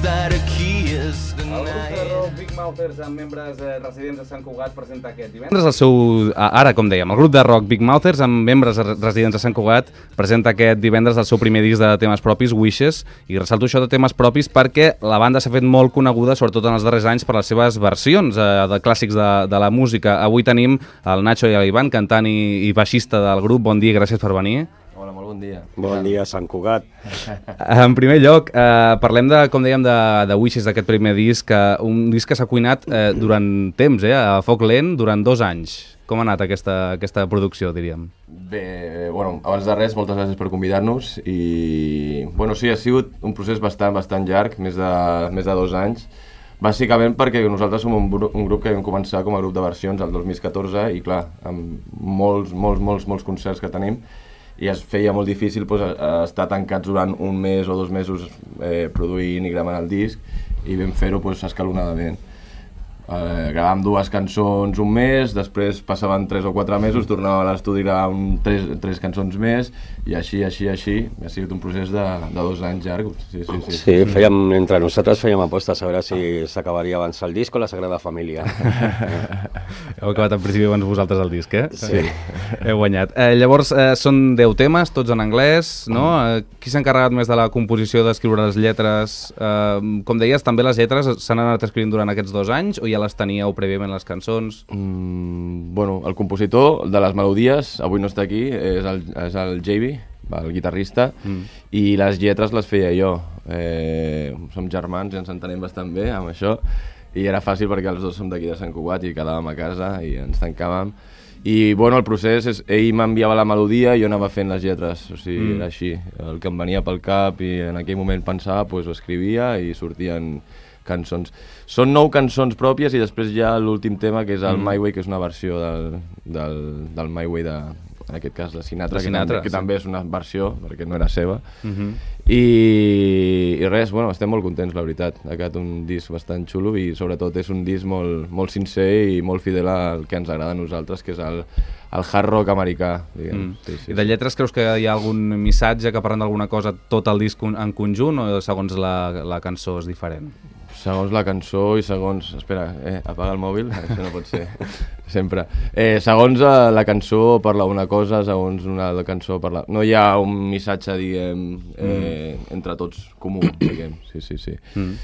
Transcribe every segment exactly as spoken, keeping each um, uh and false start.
that a key is El grup de denied. rock Big Mouthers amb membres eh, residents de Sant Cugat presenta aquest divendres. Divendres el seu, ara com dèiem, el grup de rock Big Mouthers amb membres residents de Sant Cugat presenta aquest divendres el seu primer disc de temes propis, Wishes, i ressalto això de temes propis perquè la banda s'ha fet molt coneguda, sobretot en els darrers anys, per les seves versions eh, de clàssics de, de la música. Avui tenim el Nacho i l'Ivan, cantant i, i baixista del grup. Bon dia, gràcies per venir. Hola, molt bon dia. Bon dia, Sant Cugat. En primer lloc, eh, parlem de, com dèiem, de, de Wishes, d'aquest primer disc, eh, un disc que s'ha cuinat eh, durant temps, eh, a foc lent, durant dos anys. Com ha anat aquesta, aquesta producció, diríem? Bé, bueno, abans de res, moltes gràcies per convidar-nos i, bueno, sí, ha sigut un procés bastant, bastant llarg, més de, més de dos anys, bàsicament perquè nosaltres som un, un grup que vam començar com a grup de versions el dos mil catorze i, clar, amb molts, molts, molts, molts concerts que tenim, i es feia molt difícil doncs, estar tancats durant un mes o dos mesos eh, produint i gravant el disc, i vam fer-ho doncs, escalonadament. Eh, gravàvem dues cançons un mes, després passaven tres o quatre mesos, tornàvem a l'estudi i gravàvem tres, tres cançons més, i així, així, així. Ha sigut un procés de, de dos anys llarg. Sí, sí, sí. Sí, fèiem, entre nosaltres fèiem apostes a veure si s'acabaria abans el disc o la Sagrada Família. Heu acabat en principi abans vosaltres el disc, eh? Sí. Heu guanyat. Eh, llavors, eh, són deu temes, tots en anglès, no? Eh, qui s'ha encarregat més de la composició, d'escriure les lletres? Eh, com deies, també les lletres s'han anat escrivint durant aquests dos anys, o ja les teníeu prèviament les cançons? Mm, bueno, el compositor de les melodies, avui no està aquí, és el, és el J B, el guitarrista, mm. i les lletres les feia jo. Eh, som germans i ens entenem bastant bé amb això, i era fàcil perquè els dos som d'aquí de Sant Cugat i quedàvem a casa i ens tancàvem. I bueno, el procés és, ell m'enviava la melodia i jo anava fent les lletres, o sigui, mm. era així. El que em venia pel cap i en aquell moment pensava, doncs ho escrivia i sortien cançons. Són nou cançons pròpies i després hi ha l'últim tema, que és el mm. My Way, que és una versió del, del, del My Way de, en aquest cas, de Sinatra, de Sinatra que, també, que sí. també és una versió, perquè no era seva. Mm-hmm. I, I res, bueno, estem molt contents, la veritat. Ha quedat un disc bastant xulo i sobretot és un disc molt, molt sincer i molt fidel al que ens agrada a nosaltres, que és el, el hard rock americà, diguem. Mm. Sí, sí, I de lletres creus que hi ha algun missatge que parlen d'alguna cosa tot el disc en conjunt, o segons la, la cançó és diferent? Segons la cançó i segons... Espera, eh, apaga el mòbil, això no pot ser, sempre. Eh, segons eh, la cançó parla una cosa, segons una cançó parla... No hi ha un missatge, diguem, eh, mm. entre tots comú, diguem, sí, sí, sí. Mm.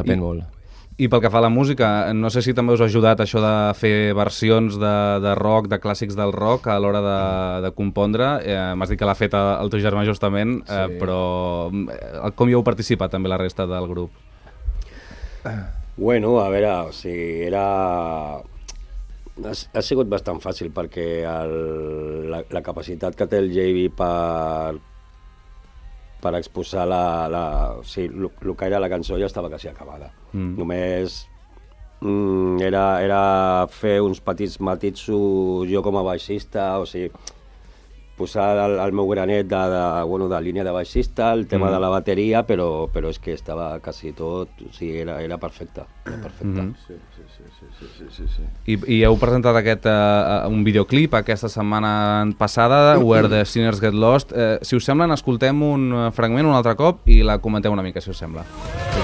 Depèn I, molt. I pel que fa a la música, no sé si també us ha ajudat això de fer versions de, de rock, de clàssics del rock a l'hora de, de compondre. Eh, M'has dit que l'ha fet el teu germà justament, sí. eh, però com hi heu participat també la resta del grup? Bueno, a veure, o sigui, era... Ha, ha sigut bastant fàcil perquè el, la, la capacitat que té el J B per, per exposar la, la, o sigui, el que era la cançó ja estava quasi acabada. Mm. Només mm, era, era fer uns petits matisos jo com a baixista, o sigui, posar el, el meu granet de, de, bueno, de línia de baixista, el tema mm. de la bateria, però, però és que estava quasi tot, o sigui, era, era perfecte. Era perfecte. Mm -hmm. sí, sí, sí, sí, sí, sí, sí, sí. I, I heu presentat aquest, uh, un videoclip aquesta setmana passada, Where the Sinners Get Lost. Uh, si us sembla, escoltem un fragment un altre cop i la comenteu una mica, si us sembla. Sí,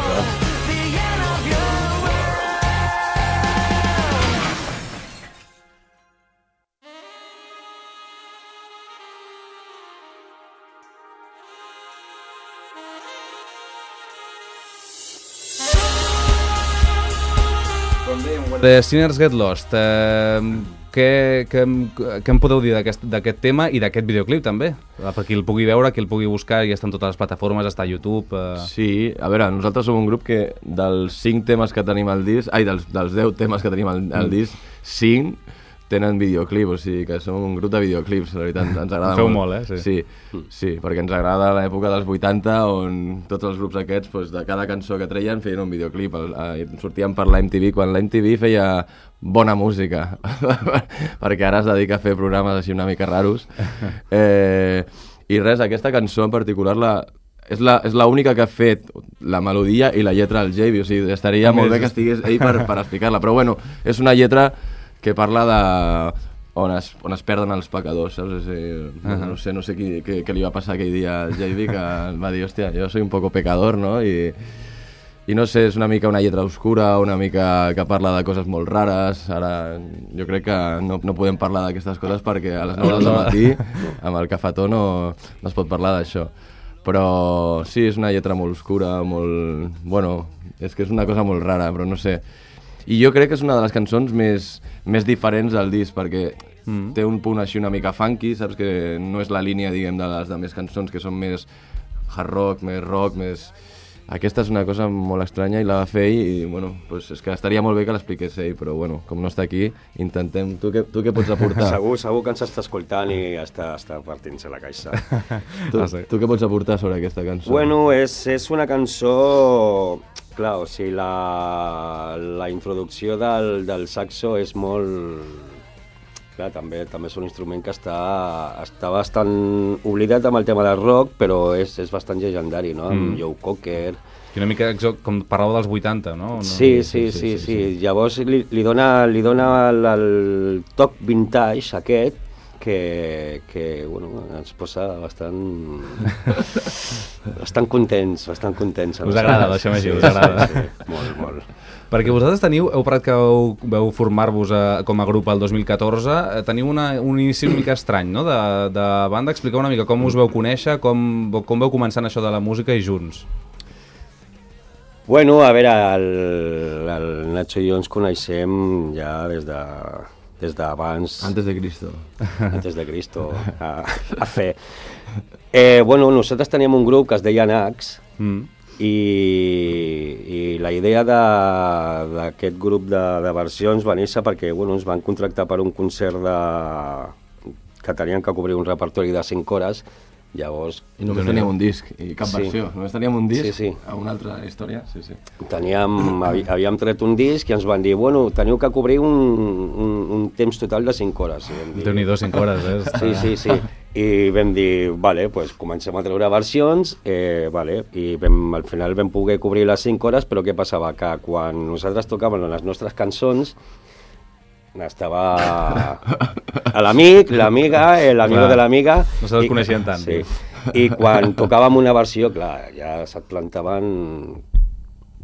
The Sinners Get Lost. Eh, què, què, què em podeu dir d'aquest tema i d'aquest videoclip també? Per qui el pugui veure, qui el pugui buscar, ja està en totes les plataformes, està a YouTube... Eh... Sí, a veure, nosaltres som un grup que dels cinc temes que tenim al disc, ai, dels, dels deu temes que tenim al, al disc, cinc tenen videoclip, o sigui que som un grup de videoclips, la veritat, ens agrada Feu molt. molt, eh? Sí. Sí, sí, perquè ens agrada l'època dels vuitanta, on tots els grups aquests, doncs, de cada cançó que treien, feien un videoclip. El, el, sortien per l'M T V, quan l'M T V feia bona música, perquè ara es dedica a fer programes així una mica raros. Eh, I res, aquesta cançó en particular, la, és la, és l'única que ha fet la melodia i la lletra del J B, o sigui, estaria molt bé que estigués ell per, per explicar-la, però bueno, és una lletra que parla de on es, on es perden els pecadors, saps? O sigui, uh -huh. No sé, no sé qui, què, què li va passar aquell dia al J B, que va dir, hòstia, jo soy un poco pecador, no? I, I no sé, és una mica una lletra oscura, una mica que parla de coses molt rares. Ara jo crec que no, no podem parlar d'aquestes coses perquè a les nou del matí amb el cafetó no, no es pot parlar d'això. Però sí, és una lletra molt oscura, molt... Bueno, és que és una cosa molt rara, però no sé. I jo crec que és una de les cançons més, més diferents del disc, perquè mm. té un punt així una mica funky, saps? Que no és la línia, diguem, de les altres cançons que són més hard rock, més rock, més... Aquesta és una cosa molt estranya i la va fer ell i, bueno, pues és que estaria molt bé que l'expliqués ell, però, bueno, com no està aquí, intentem... Tu què, tu què pots aportar? Segur, segur que ens està escoltant i està, està partint-se la caixa. tu, tu què pots aportar sobre aquesta cançó? Bueno, és, és una cançó... Clar, o sigui, la, la introducció del, del saxo és molt... Clar, també, també és un instrument que està, està bastant oblidat amb el tema del rock, però és, és bastant llegendari, no? Amb mm. Joe Cocker... I una mica com parlàveu dels vuitanta, no? no? Sí, sí, sí, sí, sí, sí. Llavors li, li dona, li dona el, el toc vintage aquest, que, que bueno, ens posa bastant... bastant contents, bastant contents. Us agrada, deixem així, us agrada. Sí, sí, molt, molt. Perquè vosaltres teniu, heu parlat que veu, veu formar-vos com a grup el dos mil catorze, teniu una, un inici una mica estrany, no?, de, de banda. Expliqueu una mica com us veu conèixer, com, com veu començant això de la música i junts. Bueno, a veure, el, el Nacho i jo ens coneixem ja des de des d'abans... Antes de Cristo. Antes de Cristo, a, a fer. Eh, bueno, nosaltres teníem un grup que es deia Nax, mm. I, i la idea d'aquest grup de, de versions va néixer perquè bueno, ens van contractar per un concert de, que tenien que cobrir un repertori de cinc hores. Llavors, I només teníem un disc i cap sí. versió, només teníem un disc, sí, sí. a una altra història. Sí, sí. Teníem, havíem tret un disc i ens van dir, bueno, teniu que cobrir un, un, un temps total de cinc hores. Déu-n'hi-do, cinc hores, eh? Sí, sí, sí. I vam dir, vale, pues comencem a treure versions, eh, vale, i vam, al final vam poder cobrir les cinc hores, però què passava? Que quan nosaltres tocàvem les nostres cançons, estava a l'amic, l'amiga, l'amigo de l'amiga... No se'ls coneixien tant. Sí. I quan tocàvem una versió, clar, ja se't plantaven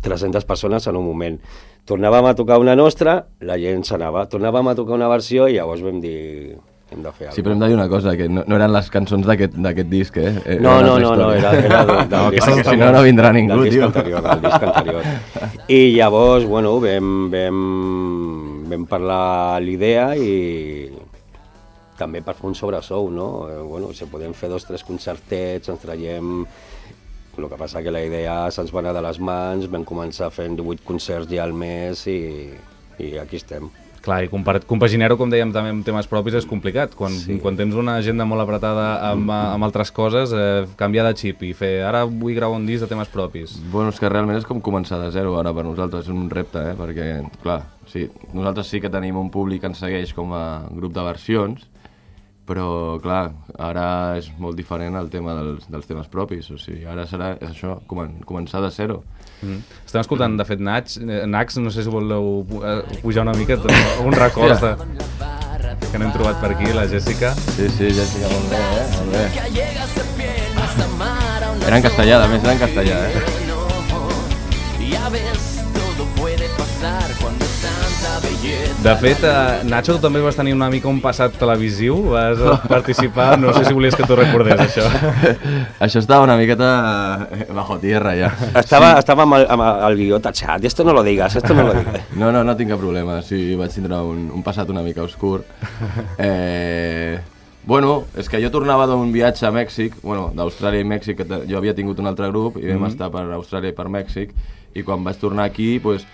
tres-centes persones en un moment. Tornàvem a tocar una nostra, la gent s'anava. Tornàvem a tocar una versió i llavors vam dir... Hem de fer alguna cosa. Sí, però hem de dir una cosa, que no, no eren les cançons d'aquest disc, eh? Era no, no, no, no, era, era del, del no, disc anterior. Si no, no vindrà ningú, del disc tio. Anterior, del disc anterior. I llavors, bueno, vam, vam, vam parlar l'idea i també per fer un sobresou, no? Eh, bueno, si podem fer dos, tres concertets, ens traiem... El que passa que la idea se'ns va anar de les mans, vam començar fent divuit concerts ja al mes i, i aquí estem. Clar, i compaginar-ho, com dèiem, també amb temes propis és complicat. Quan, sí. quan tens una agenda molt apretada amb, amb altres coses, eh, canviar de xip i fer ara vull gravar un disc de temes propis. Bueno, és que realment és com començar de zero ara per nosaltres, és un repte, eh? Perquè, clar, sí, nosaltres sí que tenim un públic que ens segueix com a grup de versions, però, clar, ara és molt diferent el tema dels, dels temes propis, o sigui, ara serà és això, comen començar de zero. Mm. Estem escoltant, de fet, Nax, Nax, no sé si voleu pujar una mica, un record de... que n'hem trobat per aquí, la Jessica. Sí, sí, Jessica, molt bé, eh? Molt bé. Era en castellà, a més, era en castellà, eh? De fet, eh, Nacho, tu també vas tenir una mica un passat televisiu, vas participar, no sé si volies que t'ho recordés, això. Això estava una miqueta bajo tierra, ja. Estava, sí. estava amb, el, amb el guió tachat, esto no lo digas, esto no lo digas. No, no, no tinc cap problema, sí, vaig tindre un, un passat una mica oscur. Eh, bueno, és que jo tornava d'un viatge a Mèxic, bueno, d'Austràlia i Mèxic, que jo havia tingut un altre grup, i vam mm-hmm. estar per Austràlia i per Mèxic, i quan vaig tornar aquí, doncs,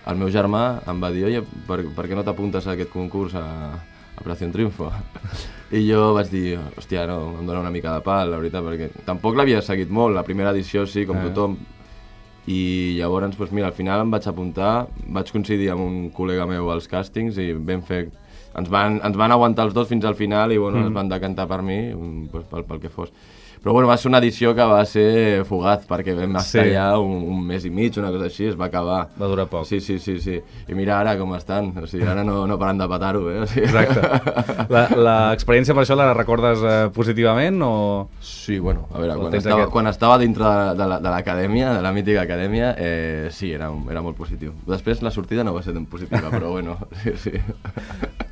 el meu germà em va dir, oye, per, per què no t'apuntes a aquest concurs a, a Operació Triunfo? I jo vaig dir, hòstia, no, em dona una mica de pal, la veritat, perquè tampoc l'havia seguit molt, la primera edició sí, com eh. tothom, i llavors, doncs, mira, al final em vaig apuntar, vaig coincidir amb un col·lega meu als càstings i vam fer ens van, ens van aguantar els dos fins al final i bueno, Mm. es van decantar per mi, pues, pel, pel que fos. Però bueno, va ser una edició que va ser fugaz, perquè vam estar Sí. allà un, un mes i mig, una cosa així, es va acabar. Va durar poc. Sí, sí, sí, sí. I mira ara com estan, o sigui, ara no, no paren de petar-ho, eh? O sigui... Exacte. L'experiència per això la recordes eh, positivament o...? Sí, bueno, a veure, El quan tens estava, aquest- quan estava dintre de, de la- de l'acadèmia, de la mítica acadèmia, eh, sí, era, era molt positiu. Després la sortida no va ser tan positiva, però bueno, sí, sí.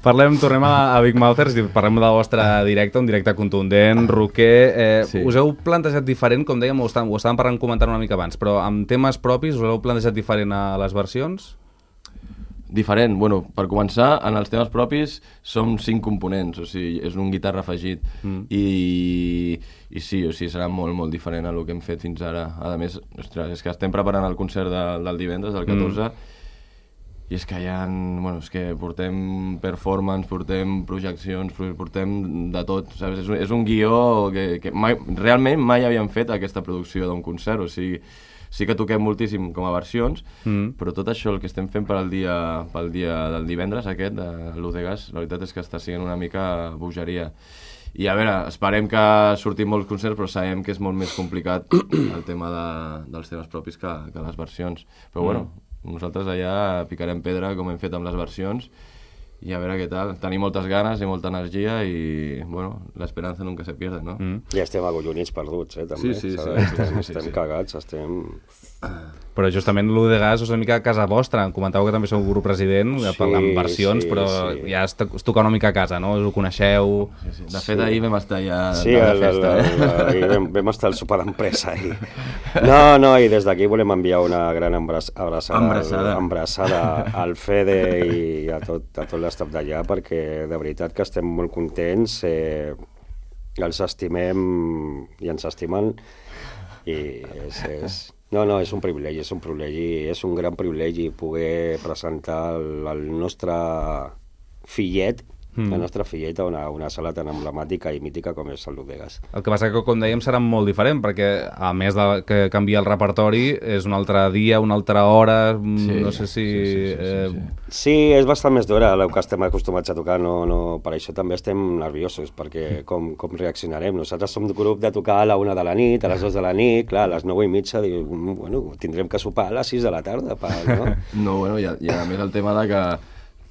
Parlem, tornem a, a Big Mouthers i parlem del vostre directe, un directe contundent, rocker. Eh, Sí. Us heu plantejat diferent, com dèiem, ho estàvem, ho estàvem parlant comentant una mica abans, però amb temes propis us heu plantejat diferent a les versions? Diferent, bueno, per començar, en els temes propis som cinc components, o sigui, és un guitarra afegit mm. i, i sí, o sigui, serà molt, molt diferent a el que hem fet fins ara. A més, ostres, és que estem preparant el concert de, del divendres, del catorze, mm. i és que hi ha, bueno, és que portem performance, portem projeccions, portem de tot, saps? És un, és un guió que, que mai, realment mai havíem fet aquesta producció d'un concert, o sigui, sí que toquem moltíssim com a versions, mm. però tot això, el que estem fent per al dia, pel dia del divendres aquest, de l'U de Gas, la veritat és que està sent una mica bogeria. I a veure, esperem que surtin molts concerts, però sabem que és molt més complicat el tema de, dels temes propis que, que les versions. Però mm. bueno, nosaltres allà picarem pedra com hem fet amb les versions i a veure què tal. Tenim moltes ganes i molta energia i, bueno, l'esperança nunca se pierde, no? Mm. Ja estem agollonits perduts, eh, també. Sí, sí, sí, sabeu? sí, sí, sí, Estem sí. cagats, estem... Però justament l'U de Gas és una mica a casa vostra. Em comentàveu que també sou un grup president, Sí, amb versions, sí, però sí. ja es, es toca una mica a casa, no? Us ho coneixeu... Sí, sí. De fet, ahir vam estar ja Sí, de la el, festa, el, eh? el, ahir vam, vam estar al sopar d'empresa ahir. No, no, i des d'aquí volem enviar una gran abraç, abraçada, Embrassada. embrassada al Fede i a tot, a tot l'estaf d'allà, perquè de veritat que estem molt contents, eh, els estimem i ens estimen, i és, és, no, no, és un privilegi, és un privilegi, és un gran privilegi poder presentar el, el nostre fillet, mm. la nostra filleta a una, una sala tan emblemàtica i mítica com és el l'U de Gas. El que passa que, com dèiem, serà molt diferent, perquè a més de que canvia el repertori, és un altre dia, una altra hora, Sí, no sé si... sí, sí, sí, sí, eh, sí. Sí, és bastant més d'hora el que estem acostumats a tocar, no, no, per això també estem nerviosos, perquè com, com reaccionarem. Nosaltres som un grup de tocar a la una de la nit, a les dues de la nit, clar, a les nou i mitja, diu, bueno, tindrem que sopar a les sis de la tarda, pa, no? No, bueno, i a, i a més el tema de que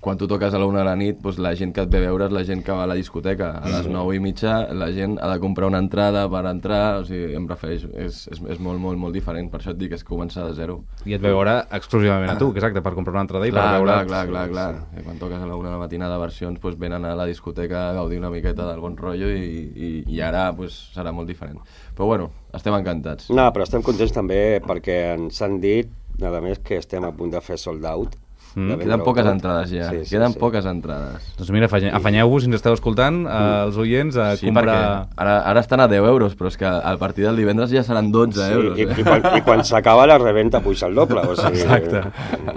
quan tu toques a la una de la nit, doncs la gent que et ve a veure és la gent que va a la discoteca. A les nou i mitja la gent ha de comprar una entrada per entrar, o sigui, em refereixo, és, és, és molt, molt, molt diferent, per això et dic, és començar de zero. I et ve a veure exclusivament a tu, que exacte, per comprar una entrada i Clar, per veure... clar, clar, clar, clar. Sí. Quan toques a la una de la matinada versions, doncs venen a la discoteca a gaudir una miqueta del bon rotllo i, i, i ara doncs, serà molt diferent. Però bueno, estem encantats. No, però estem contents també perquè ens han dit, a més, que estem a punt de fer sold out. Mm, de Queden vendre-ho poques tot. entrades ja, Sí, sí, queden sí. poques entrades. Doncs mira, afanye- afanyeu-vos, si ens esteu escoltant, eh, els oients, a Sí, comprar... perquè ara, ara estan a deu euros, però és que al partir del divendres ja seran dotze Sí, euros. i, Eh? i, quan, i quan s'acaba la reventa puja el doble, o sigui... Exacte.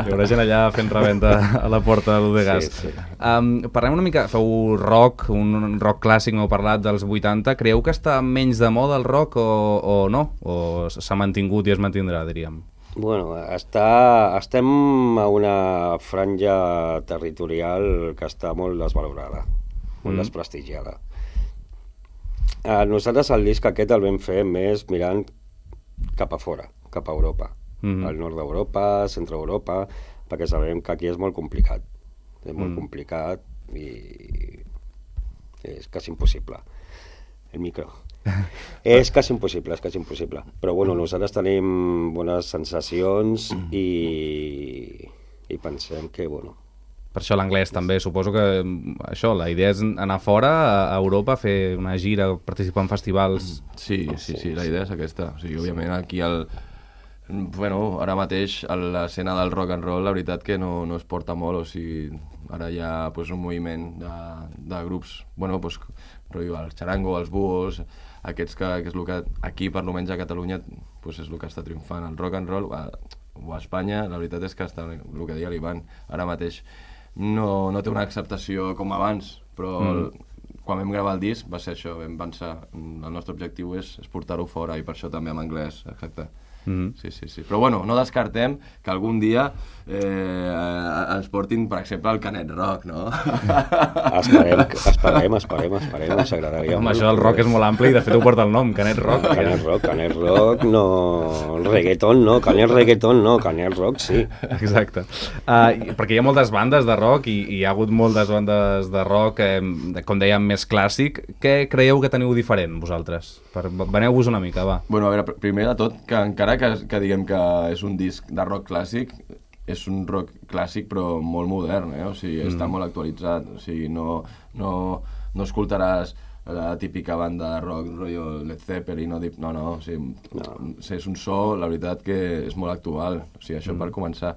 Hi haurà gent allà fent reventa a la porta de l'U de Gas. Sí, sí. Um, parlem una mica, feu rock, un rock clàssic, m'heu parlat dels vuitanta. Creieu que està menys de moda el rock o, o no? O s'ha mantingut i es mantindrà, diríem? Bueno, està, estem a una franja territorial que està molt desvalorada, molt Mm. desprestigiada. Eh, nosaltres el disc aquest el vam fer més mirant cap a fora, cap a Europa, Mhm. al nord d'Europa, centre d'Europa, perquè sabem que aquí és molt complicat, és molt Mm. complicat i és quasi impossible. El micro. És quasi impossible, és quasi impossible. Però bueno, nosaltres tenim bones sensacions i, i pensem que, bueno... Per això l'anglès també, suposo que mm, això, la idea és anar fora a Europa, fer una gira, participar en festivals... Sí, sí, sí, la idea és aquesta. O sigui, òbviament aquí el... Bueno, ara mateix a l'escena del rock and roll la veritat que no, no es porta molt, o sigui, ara hi ha pues, un moviment de, de grups, bueno, pues, rotllo, el xarango, els búhos, aquests que, que és el que aquí, per almenys a Catalunya, pues, és el que està triomfant. El rock and roll, a, o a Espanya, la veritat és que està, el que deia l'Ivan, ara mateix no, no té una acceptació com abans, però mm. el, quan vam gravar el disc va ser això, vam pensar, el nostre objectiu és, és portar-ho fora i per això també en anglès, exacte. Mm-hmm. Sí, sí, sí. Però bueno, no descartem que algun dia eh, ens portin, per exemple, el Canet Rock, no? Esperem, esperem, esperem, esperem, ens agradaria. Home, això del rock és molt ampli i de fet ho porta el nom, Canet Rock. No, Canet Rock, Canet Rock, no... Reggaeton no, Canet Reggaeton no, Canet Rock sí. Exacte. Uh, perquè hi ha moltes bandes de rock i, i hi ha hagut moltes bandes de rock, eh, com dèiem, més clàssic. Què creieu que teniu diferent, vosaltres? Per, veneu-vos una mica, va. Bueno, a veure, primer de tot, que encara que, que diguem que és un disc de rock clàssic, és un rock clàssic però molt modern, eh? O sigui, mm. està molt actualitzat, o sigui, no, no, no escoltaràs la típica banda de rock, rotllo Led Zeppelin, no, no, no, o sigui, no. És un so, la veritat que és molt actual, o sigui, això mm. per començar.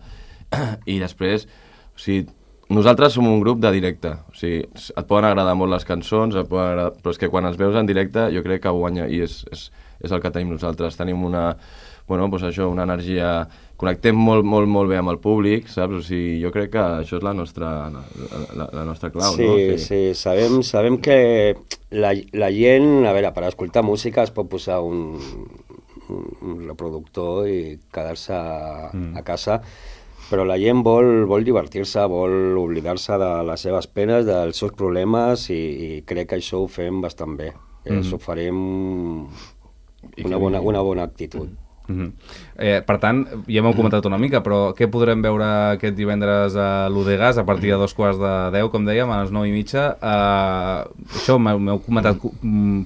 I després, o sigui, nosaltres som un grup de directe, o sigui, et poden agradar molt les cançons, et poden agradar, però és que quan els veus en directe jo crec que guanya, i és, és, és el que tenim nosaltres, tenim una, bueno, doncs això, una energia, connectem molt, molt, molt bé amb el públic, saps? O sigui, jo crec que això és la nostra, la, la, la nostra clau, sí, no? Sí, sí, sabem, sabem que la, la gent, a veure, per escoltar música es pot posar un, un, un reproductor i quedar-se mm. a casa, però la gent vol, vol divertir-se, vol oblidar-se de les seves penes, dels seus problemes, i, i crec que això ho fem bastant bé. Mm-hmm. Ens ho farem una bona, una bona actitud. Mm-hmm. eh, per tant, ja m'heu comentat una mica, però què podrem veure aquest divendres a l'U de Gas a partir de dos quarts de deu, com dèiem, a les nou i mitja? Eh, això, m'heu comentat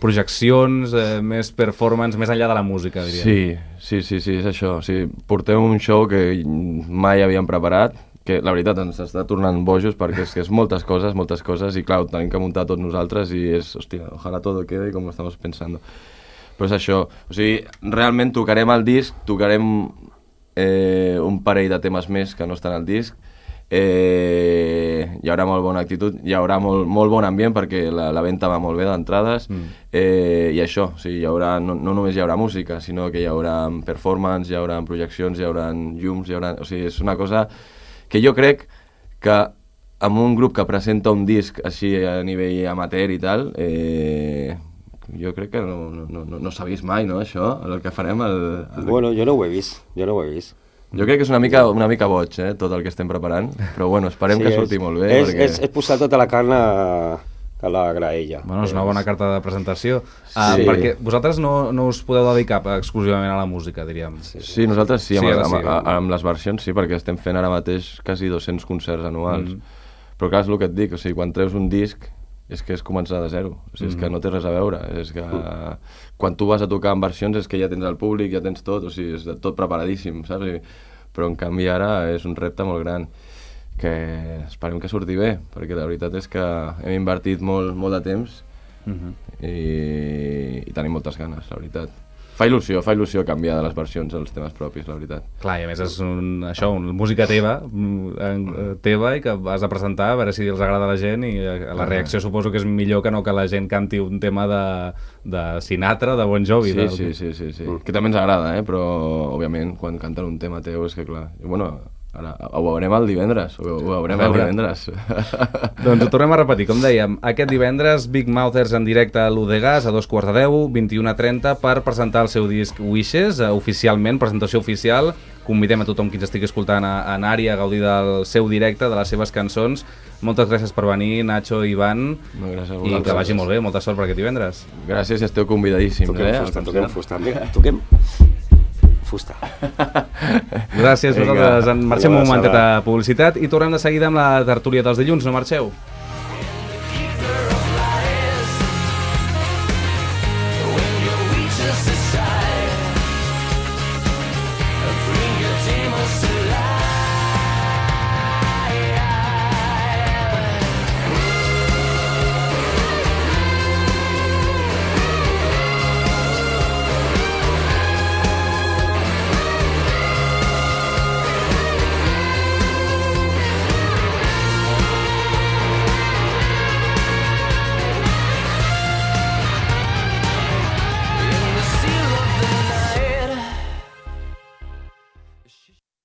projeccions, eh, més performance, més enllà de la música, diria. Sí, sí, sí, sí, és això. O sigui, portem un show que mai havíem preparat, que la veritat ens està tornant bojos perquè és que és moltes coses, moltes coses, i clar, ho tenim que muntar tots nosaltres i és, hòstia, ojalà todo quede com estamos pensando. Però és això, o sigui, realment tocarem el disc, tocarem eh, un parell de temes més que no estan al disc, eh, hi haurà molt bona actitud, hi haurà molt, molt bon ambient perquè la, la venda va molt bé d'entrades, mm. eh, i això, o sigui, hi haurà, no, no només hi haurà música, sinó que hi haurà performance, hi haurà projeccions, hi haurà llums, hi haurà, o sigui, és una cosa que jo crec que amb un grup que presenta un disc així a nivell amateur i tal, eh, jo crec que no, no, no, no s'ha vist mai, no, això, el que farem. El, el... Bueno, jo no ho he vist, jo no ho he vist. Jo crec que és una mica, una mica boig, eh, tot el que estem preparant, però bueno, esperem sí, que surti és, molt bé. És, perquè... és, és posar tota la carn a, a la graella. Bueno, és una bona carta de presentació, sí. uh, perquè vosaltres no, no us podeu dedicar exclusivament a la música, diríem. Sí, sí. sí nosaltres sí, amb, sí, amb, sí, amb, amb les versions sí, perquè estem fent ara mateix quasi dos-cents concerts anuals, mm. però clar, és el que et dic, o sigui, quan treus un disc és que és començar de zero, o sigui, és que no té res a veure, és que quan tu vas a tocar en versions és que ja tens el públic, ja tens tot, o sigui, és tot preparadíssim, saps? Però en canvi ara és un repte molt gran, que esperem que surti bé, perquè la veritat és que hem invertit molt, molt de temps uh-huh. i, i tenim moltes ganes, la veritat. Fa il·lusió, fa il·lusió canviar de les versions als temes propis, la veritat. Clar, i a més és un, això, una música teva, teva i que has de presentar a veure si els agrada a la gent, i la reacció suposo que és millor que no que la gent canti un tema de, de Sinatra, de Bon Jovi. Sí, del... sí, sí, sí, sí. Mm. Que també ens agrada, eh? Però òbviament quan canten un tema teu és que clar, i, bueno, ara, ho veurem el divendres, ho, ho veurem el divendres. Doncs ho tornem a repetir, com dèiem, aquest divendres Big Mouthers en directe a l'U de Gas a dos quarts de deu, vint-i-una trenta, per presentar el seu disc Wishes, uh, oficialment, presentació oficial. Convidem a tothom qui ens estigui escoltant a, a anar-hi a gaudir del seu directe, de les seves cançons. Moltes gràcies per venir, Nacho i Ivan, no, gràcies a i que vagi molt bé, molta sort per aquest divendres. Gràcies i esteu convidadíssims. Toquem eh? fusta, toquem fusta, toquem fusta. Gràcies, nosaltres en marxem un momentet a publicitat i tornem de seguida amb la tertúlia dels dilluns, no marxeu.